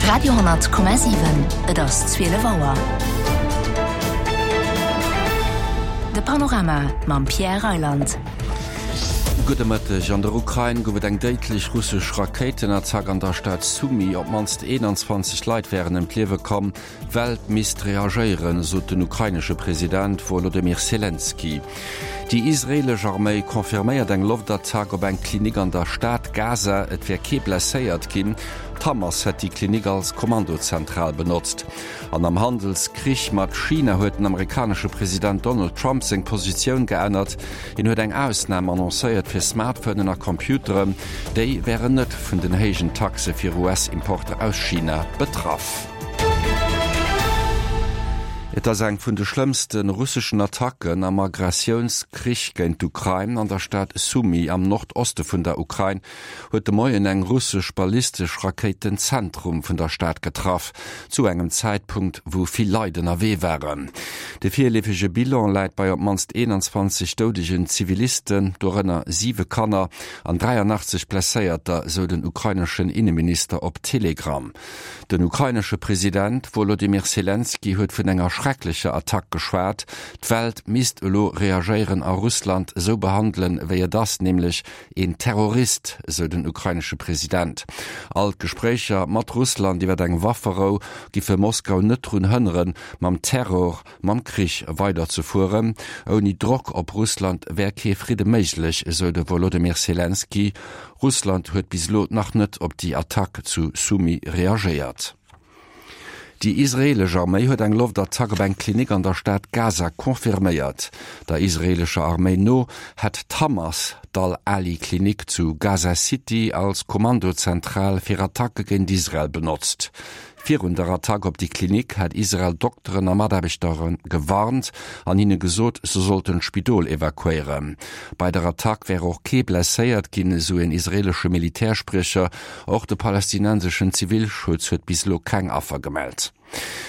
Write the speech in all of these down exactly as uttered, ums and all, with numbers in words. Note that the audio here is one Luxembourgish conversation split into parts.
Radio honnert Komma siwen, Et ass zwielef Auer. De Panorama mam Pierre Reyland. Gudde Mëtteg. An der Ukrain gouf et eng déidlech russesch Rakéitenattack an der Stad Sumy. Op d'mannst eenanzwanzeg Leit wären ëm d'Liewe komm. D'Welt misst reagéieren, sot den ukrainesche President Wolodymyr Selenskyj. Déi israeelesch Arméi confirméiert eng Loftattack op eng Klinik an der Stad Gaza. Et wär kee blesséiert ginn. D'Hamas hätt déi Klinik als Kommandozentral benotzt. An am Handelskrich mat China huet den amerikanesche President Donald Trump seng Positioun geännert. Hien huet eng Ausnam annoncéiert fir Smartphonen a Computeren. Déi wären net vun den héijen Taxe fir U S-Importer aus China betraff. Et ass eng vun de schlëmmste russeschen Attacken am Agressiounskrich géint d'Ukrain. An der Stad Sumy am Nordoste vun der Ukrain huet de Moien eng russesch ballistesch Rakéit den Zentrum vun der Stad getraff, zu engem Zäitpunkt, wou vill Leit ënnerwee waren. De virleefege Bilan läit bei op d'mannst eenanzwanzeg doudegen Zivilisten, dorënner siwe Kanner, an dräianachtzeg Blesséierter, sou den ukraineschen Inneminister op Telegram. Den ukrainesche President Wolodymyr Selenskyj huet vun enger schrecklecher Attack geschwat. D'Welt misst elo reagéieren a Russland esou behandelen, wéi et ass, nämlech een Terrorist, esou den ukrainesche President. All d'Gespréicher mat Russland iwwer eng Wafferou giffe Moskau net drun hënneren, mam Terror, mam Krich weiderzefueren. Ouni Drock op Russland wär kee Fridde méiglech, esou de Wolodymyr Selenskyj. Russland huet bis elo nach net op déi Attack zu Sumy reagéiert. Déi israeelesch Arméi huet eng Loftattack op eng Klinik an der Stad Gaza confirméiert. Der israeelescher Arméi no hätt d'Hamas d'Al-Ahli-Klinik zu Gaza City als Kommandozentral fir Attacke géint Israel benotzt. Virun der Attack op déi Klinik hat Israel Dokteren a Mataarbechter gewarnt an hinne gesot, se sollten d'Spidol evakuéieren. Bei der Attack wär och kee blesséiert ginn, esou en israeelesche Militärspriecher. Och de palästinenseschen Zivilschutz huet bis elo keng Affer gemellt.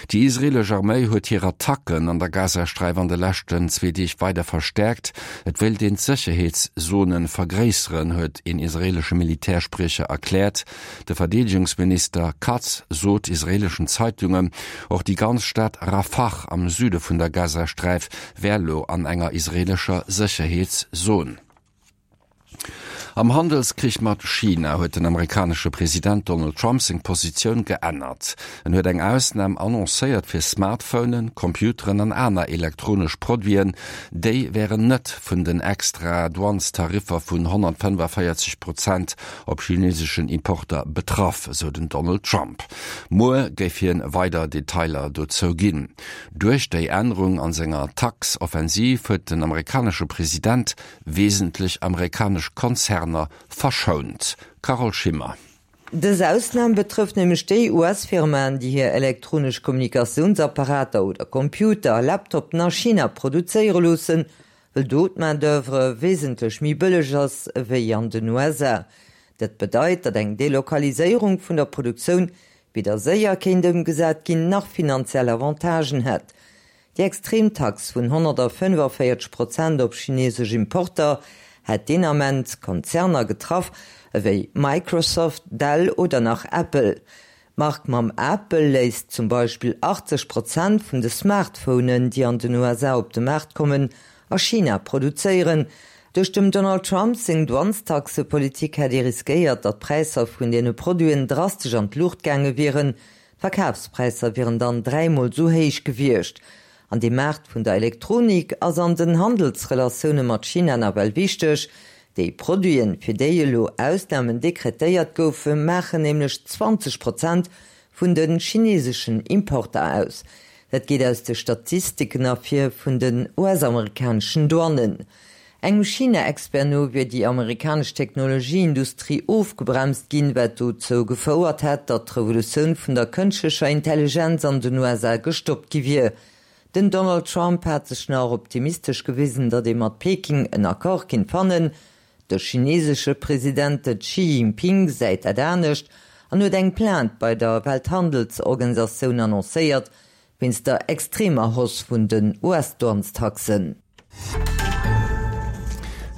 Déi israeelesch Arméi huet hir Attacken an der Gazasträif an de leschten zwee Deeg weider verstäerkt. Et wéilt een d'Sécherheetszone vergréisseren, huet een israeelesche Militärspriecher erkläert. De Verdeedegungsminister Katz sot israeeleschen Zeitungen, och déi ganz Stad Rafah am Süde vun der Gazasträif wär elo an enger israeelescher Sécherheetszon. Am Handelskrich mat China huet den amerikanesche President Donald Trump seng Positioun geännert. En huet eng Ausnam annoncéiert fir Smartphonen, Computeren an aner elektronesch Produiten. Déi wären net vun den extra Douanestariffer vun honnertfënnefavéierzeg Prozent op chineeseschen Importer betraff, sou den Donald Trump. Muer géif hien weider Detailer dozou ginn. Duerch déi Ännerung an senger Tax-Offensiv huet den amerikanesche President wesentlech amerikanesch Konzerner verschount. Carole Schimmer. Dës Ausnam betrëfft nämlech déi U S-Firmaen, déi hir elektronesch Kommunikatiounsapparater oder Computer, Laptoppen a China produzéiere loossen, well do d'Main d'oeuvre wesentlech méi bëlleg ass wéi an den U S A. Dat bedeit, datt eng Delokaliséierung vun der Produktioun weder séier kéint ëmgesat ginn, nach finanziell Avantagen hätt. Déi extrem Tax vun honnertfënnefavéierzeg Prozent op chineesesch Importer hätt deen Ament Konzerner getraff ewéi Microsoft, Dell oder nach Apple. D'Mark mam Apel léisst zum Beispill achtzeg Prozent vun de Smartphonen, déi an den U S A op de Maart kommen, a China produzéieren. Duerch dem Donald Trump seng Douanestaxepolitik hätt ee riskéiert, datt d'Präisser vun deene Produiten drastesch an d'Luucht gaange wieren. D'Verkafspräisser wieren dann dräimol esou héich gewiescht. An de Maart vun der Elektronik ass an den Handelsrelatioune mat China nawell wichteg. Déi Produiten, fir déi elo Ausnamen dekretéiert goufen, maachen nämlech zwanzeg Prozent vun de chineeseschen Importer aus. Dat geet aus de Statistiken ervir vun den U S-amerikaneschen Douanen. Engem China-Expert no wier déi amerikanesch Technologieindustrie ofgebremst ginn, wat dozou gefouert hätt, datt d'Revolutioun vun der kënschtlecher Intelligenz an den U S A gestoppt gi wier. Den Donald Trump hat sech nach optimistesch gewisen, datt ee mat Peking en Accord kinnt fannen. De chineesesche President Xi Jinping gesäit dat anescht an huet eng Plainte bei der Welthandelsorganisatioun annoncéiert, wéinst der extremer Hausse vun den U S-Douanestaxen.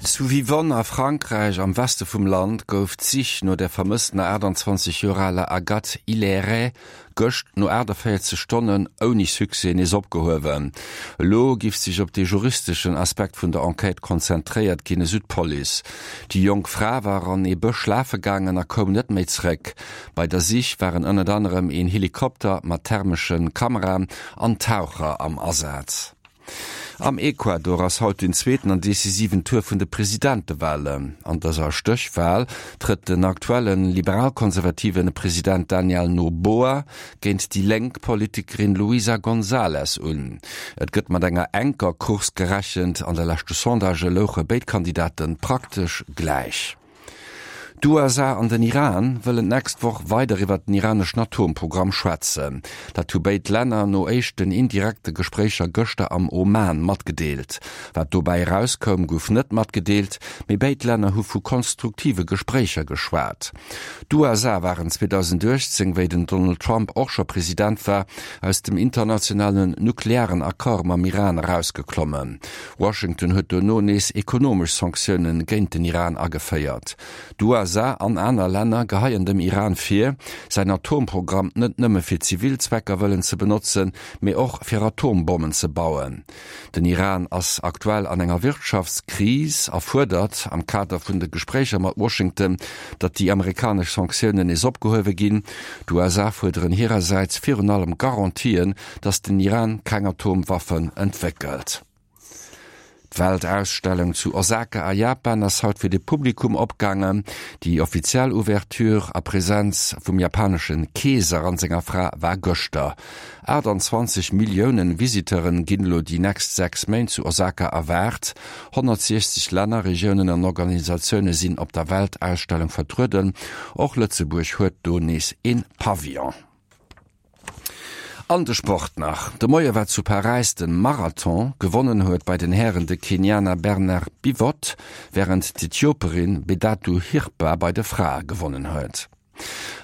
Zu Vivonne a Frankräich am Weste vum Land gouf d'Sich no der vermësstener achtundzwanzeg Joer aler Agathe Hilairet gëscht no achtundvéierzeg Stonnen ouni Succès nees opgehuewen. Elo giff sech op de juristeschen Aspekt vun der Enquête konzentréiert ginn, esou d'Police. Déi jonk Fra war an ee Bësch lafe gaangen a koum net méi zréck. Bei der Sich waren ënnert anerem een Helikopter mat thermesche Kameraen an Taucher am Asaz. Am Ecuador ass haut den zweeten an decisiven Tour vun de Presidentewalen. An dëser Stéchwal trëtt den aktuelle liberal-konservative President Daniel Noboa géint déi lénk Politikerin Luisa González un. Et gëtt mat enger enker Course gerechent, an de leschte Sondagë louche béid Kandidate praktesch gläich. D'USA an den Iran wëllen d'nächst Woch weider iwwert den iraneschen Atomprogramm schwätzen. Dat hu béid Länner no éischten indirekte Gespréicher gëschter am Oman matgedeelt. Wat dobäi erauskoum, gouf net matgedeelt, mee béid Länner hu vu konstruktive Gespréicher geschwat. D'USA waren zweedausendachtzéng, wéi den Donald Trump och scho President war, aus dem internationalen nuklearen Accord mam Iran erausgeklommen. Washington huet dono nees ekonomesch Sanktioune géint den Iran ageféiert. D'USA an aner Länner geheien dem Iran vir, säin Atomprogramm net nëmme fir zivil Zwecker wëllen ze benotzen, mee och fir Atombommen ze bauen. Den Iran ass aktuell an enger Wirtschaftskris a fuerdert am Kader vun de Gespréicher mat Washington, datt déi amerikanesch Sanktiounen nees opgehuewe ginn. D'USA fuerderen hirersäits virun allem Garantien, datt den Iran keng Atomwaffen entwéckelt. D'Weltausstellung zu Osaka a Japan ass haut fir de Publikum opgaangen. Déi offiziell Ouverture a Presenz vum japanesche Keeser an senger Fra war gëschter. achtundzwanzeg Millioune Visiteure ginn elo déi nächst sechs Méint zu Osaka erwaart. honnertsiechzeg Länner, Regiounen an Organisatioune sinn op der Weltausstellung vertrueden. Och Lëtzebuerg huet do nees een Pavillon. An de Sport nach, De Moie war zu Paräis de Marathon. Gewonnen huet bei den Hären de Kenianer Bernard Biwott, wärend d'Äthioperin Bedatu Hirpa bei de Frae gewonnen huet.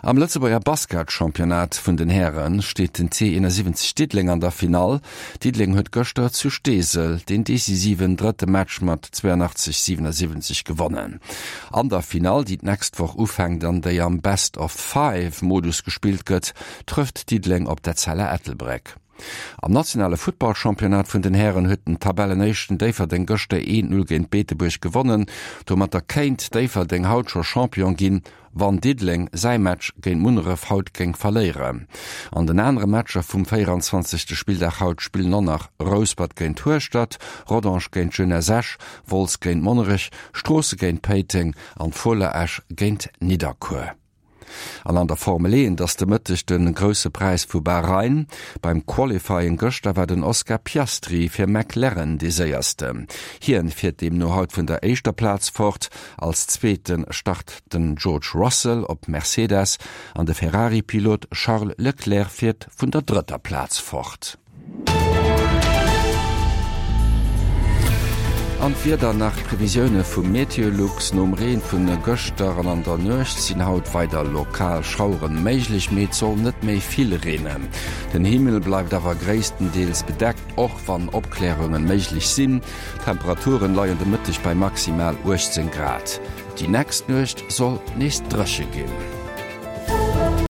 Am Lëtzebuerger Basketchampionnat vun den Häre steet den T siwwenzeg Diddeleng an der Finall. Diddeleng huet gëschter zu Steesel den decisiven drëtte Match mat zweiundachtzeg, siewenundsiwwenzeg gewonnen. An der Finall, déi d'nächst Woch ufänkt an déi am Best-of-Five-Modus gespillt gëtt, trëfft Diddeleng op d'Etzella Ettelbréck. Am nationale Futtballchampionnat vun den Hären huet den Tabellenéischten Déifferdeng gëschter een Null géint Beetebuerg gewonnen. Domatter kéint Déifferdeng haut scho Champion ginn, wann Diddeleng säi Match géint Munneref haut géing verléieren. An den anere Matcher vum véieranzwanzegste Spilldag haut spillen och nach Rouspert géint Hueschtert, Rodange géint Jeunesse Esch, Wolz géint Monnerech, Stroosse géint Péiteng an Fola Esch géint Nidderkuer. An an der Formel eent ass de Mëtteg de Grousse Präis vu Bahrain. Beim Qualifying gëschter war den Oscar Piastri fir McLaren dee Séiersten. Hien fiert deemno haut vun der éischter Plaz fort. Als Zweete start den George Russell op Mercedes an de Ferrari-Pilot Charles Leclerc fiert vun der drëtter Plaz fort. An d'Wieder nach, Previsioune vu Meteolux, Nom Reen vun gëschter an an der Nuecht sinn haut weider lokal Schaueren méiglech, mee et soll net méi vill reenen. Den Himmel bleift awer gréisstendeels bedeckt, och wann Opklärunge méiglech sinn. D'Temperaturen leien de Mëtteg bei maximal uechtzéng Grad. Déi nächst Nuecht soll nees dréche ginn.